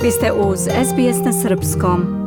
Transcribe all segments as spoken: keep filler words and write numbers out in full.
Vi ste uz S B S na srpskom.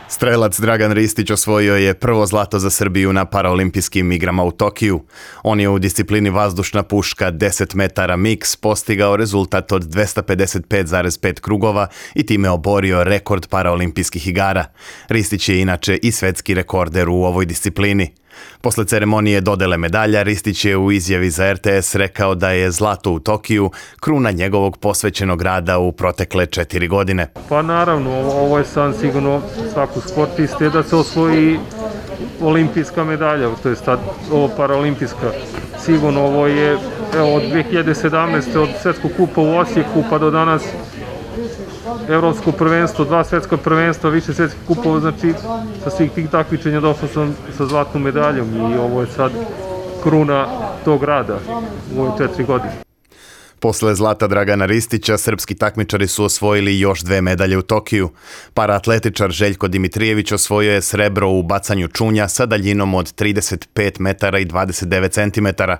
Strelac Dragan Ristić osvojio je prvo zlato za Srbiju na paraolimpijskim igrama u Tokiju. On je u disciplini vazdušna puška deset metara miks postigao rezultat od dvesta pedeset pet zarez pet krugova i time oborio rekord paraolimpijskih igara. Ristić je inače i svetski rekorder u ovoj disciplini. Posle ceremonije dodele medalja, Ristić je u izjavi za R T S rekao da je zlato u Tokiju kruna njegovog posvećenog rada u protekle četiri godine. Pa naravno, ovo je sam sigurno svaku sportiste da se osvoji olimpijska medalja, to je sad ovo paraolimpijska. Sigurno ovo je evo, od dve hiljade sedamnaeste. od svetskog kupa u Osijeku pa do danas evropsko prvenstvo, dva svetska prvenstva, više svetskih kupova, znači sa svih tih takmičenja došao sam sa zlatnom medaljom i ovo je sad kruna tog rada u ove četiri godine. Posle zlata Dragana Ristića, srpski takmičari su osvojili još dve medalje u Tokiju. Paraatletičar Željko Dimitrijević osvojio je srebro u bacanju čunja sa daljinom od trideset pet metara i dvadeset devet centimetara.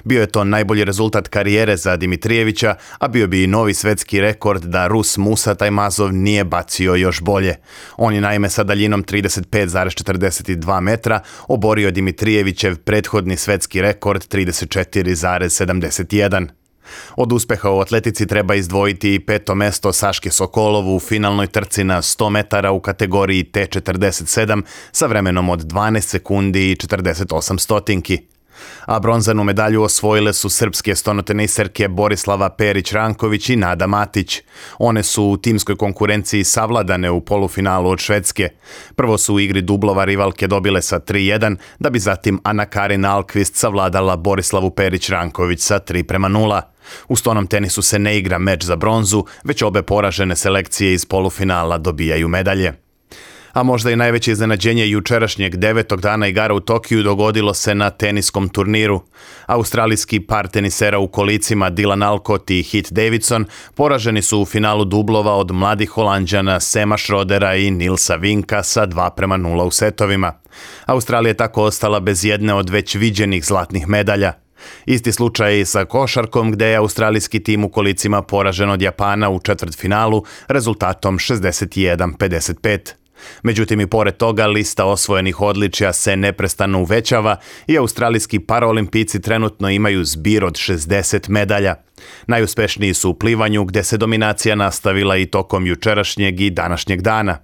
Bio je to najbolji rezultat karijere za Dimitrijevića, a bio bi i novi svetski rekord da Rus Musa Tajmazov nije bacio još bolje. On je naime sa daljinom trideset pet zarez četrdeset dva metra oborio Dimitrijevićev prethodni svetski rekord trideset četiri zarez sedamdeset jedan. Od uspeha u atletici treba izdvojiti i peto mesto Saške Sokolovu u finalnoj trci na sto metara u kategoriji T četrdeset sedam sa vremenom od dvanaest sekundi i četrdeset osam stotinki. A bronzanu medalju osvojile su srpske stonoteniserke Borislava Perić-Ranković i Nada Matić. One su u timskoj konkurenciji savladane u polufinalu od Švedske. Prvo su u igri dublova rivalke dobile sa tri jedan, da bi zatim Ana Karin Alkvist savladala Borislavu Perić-Ranković sa tri prema nula. U stonom tenisu se ne igra meč za bronzu, već obe poražene selekcije iz polufinala dobijaju medalje. A možda i najveće iznenađenje jučerašnjeg devetog dana igara u Tokiju dogodilo se na teniskom turniru. Australijski par tenisera u kolicima Dylan Alcott i Heath Davidson poraženi su u finalu dublova od mladih Holanđana Sema Schrodera i Nilsa Vinka sa dva prema nula u setovima. Australija je tako ostala bez jedne od već viđenih zlatnih medalja. Isti slučaj i sa košarkom, gde je australijski tim u kolicima poražen od Japana u četvrtfinalu rezultatom šezdeset jedan pedeset pet. Međutim, i pored toga, lista osvojenih odličja se neprestano uvećava i australijski paraolimpijci trenutno imaju zbir od šezdeset medalja. Najuspešniji su u plivanju, gde se dominacija nastavila i tokom jučerašnjeg i današnjeg dana.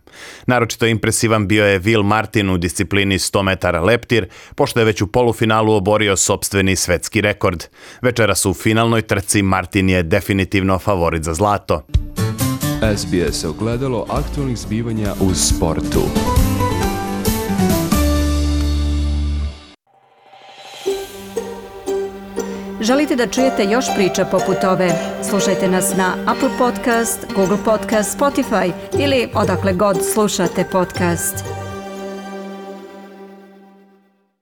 Naročito impresivan bio je Will Martin u disciplini sto metara leptir, pošto je već u polufinalu oborio sopstveni svetski rekord. Večeras u finalnoj trci Martin je definitivno favorit za zlato. S B S ogledalo aktualnih zbivanja u sportu. Želite da čujete još priča poput ove? Slušajte nas na Apple Podcast, Google Podcast, Spotify ili odakle god slušate podcast.